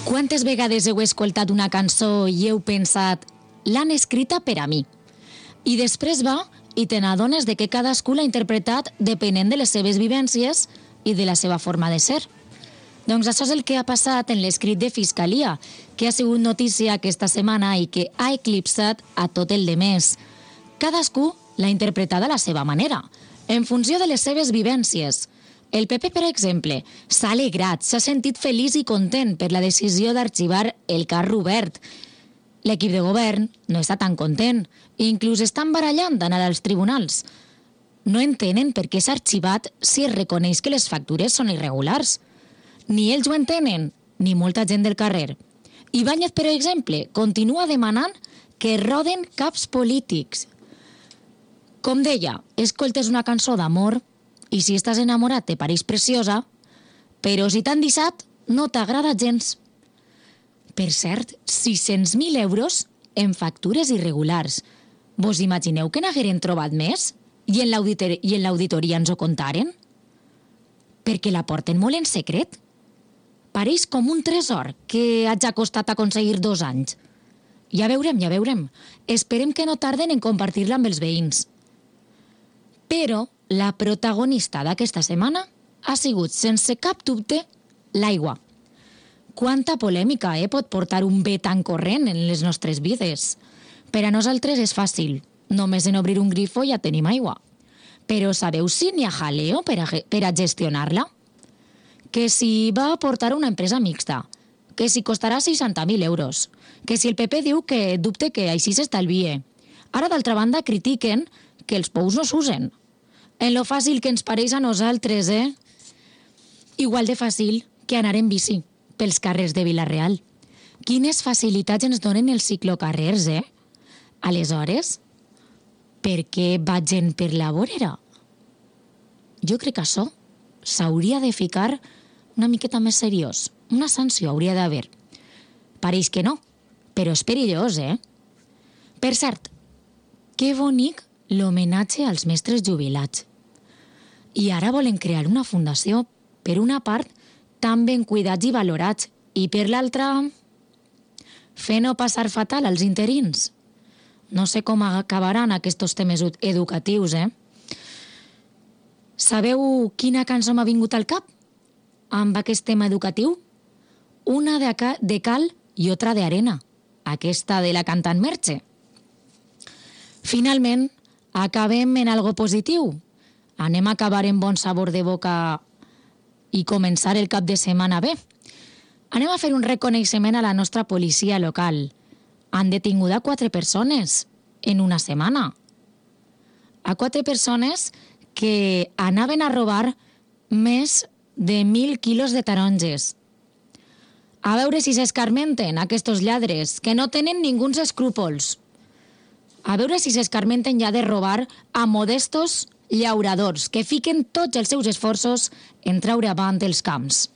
Quantes vegades heu escoltat una cançó i heu pensat l'han escrita per a mi? I després va i te n'adones de que cadascú l'ha interpretat depenent de les seves vivències i de la seva forma de ser. Doncs això és el que ha passat en l'escrit de Fiscalia, que ha sigut notícia aquesta setmana i que ha eclipsat a tot el demés. Cadascú l'ha interpretat a la seva manera, en funció de les seves vivències. El PP, per exemple, s'ha alegrat, s'ha sentit feliç i content per la decisió d'arxivar el cas Robert. L'equip de govern no està tan content, i inclús estan barallant d'anar als tribunals. No entenen per què s'ha arxivat si es reconeix que les factures són irregulars. Ni ells ho entenen, ni molta gent del carrer. Ibáñez, per exemple, continua demanant que roden caps polítics. Com deia, escoltes una cançó d'amor i si estàs enamorat te pareix preciosa, però si t'han deixat no t'agrada gens. Per cert, 600.000 euros en factures irregulars. Vos imagineu que n'hagueren trobat més? I en l'auditoria ens ho contaren? Perquè la porten molt en secret. Pareix com un tresor que hagi costat aconseguir 2 anys. Ja veurem. Esperem que no tarden en compartir-la amb els veïns. Però la protagonista d'aquesta setmana ha sigut, sense cap dubte, l'aigua. Quanta polèmica pot portar un bé tan corrent en les nostres vides? Per a nosaltres és fàcil. Només en obrir un grifo ja tenim aigua. Però sabeu si n'hi ha jaleo per a gestionar-la? Que si va aportar una empresa mixta, que si costarà 60.000 euros, que si el PP diu que dubte que així s'estalvie. Ara, d'altra banda, critiquen que els pous no s'usen. En lo fàcil que ens pareix a nosaltres, Igual de fàcil que anar en bici pels carrers de Vila-real. Quines facilitats ens donen els ciclocarrers, Aleshores, per què va gent per la vorera? Jo crec que això s'hauria de ficar una miqueta més seriós. Una sanció hauria d'haver. Pareix que no, però és perillós, Per cert, que bonic l'homenatge als mestres jubilats. I ara volen crear una fundació, per una part, tan ben cuidats i valorats, i per l'altra, fer no passar fatal als interins. No sé com acabaran aquests temes educatius, Sabeu quina cançó m'ha vingut al cap amb aquest tema educatiu? Una de cal i otra de arena, aquesta de la cantant Merche. Finalment, acabem en algo positiu. Anem a acabar en bon sabor de boca i començar el cap de setmana bé. Anem a fer un reconeixement a la nostra policia local. Han detingut a 4 persones en una setmana. A 4 persones que anaven a robar més de 1.000 quilos de taronges. A veure si s'escarmenten aquests lladres, que no tenen ninguns escrúpols. A veure si s'escarmenten ja de robar a modestos llauradors que fiquen tots els seus esforços en treure avant els camps.